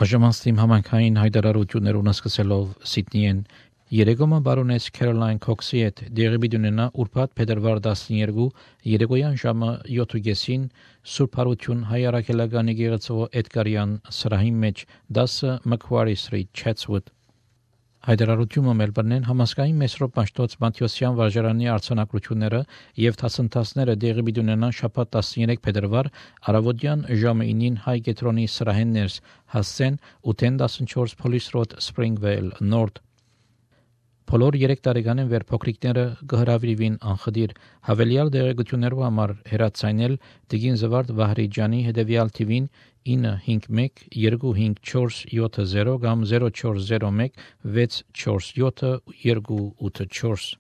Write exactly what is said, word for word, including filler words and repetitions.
Աժամաստիմ համայնքային հայտարարություններուն սկսելով Սիդնիեն Երեգոմը բարոնես Քերոլայն Քոքսի հետ դեղի ունենա ուրբաթ փետրվար տասներկու երեկոյան ժամը յոթ Սուրբ Հարություն հայ առաքելական եկեղեցու Էդգարյան սրահի մեջ դասը Macquarie Street Chatswood Հայտարարությունը Մելբուրնեն համասկային Մեսրոպ Մաշտոց Մատթեոսյան վարժարանի արձանագրությունները եւ դասընթացները դեղի ունենան շաբաթ տասներկու փետրվար առավոտյան ժամը ինին հայ կետրոնի սրահեններս հասցեն ութ տասնչորս Police Road Springvale North Բոլոր երեք տարեկանին վեր փոքրիկները կհրավիրվին անխդիր հավելյալ դեղեցություններով համար հեռացանել Տիգին Զվարդ Վահրիջանի հետևյալ թիվին նine հինգ մեկ երկու հինգ չորս յոթ զիրո կամ զիրո չորս զիրո մեկ վեց չորս յոթ երկու ութ չորս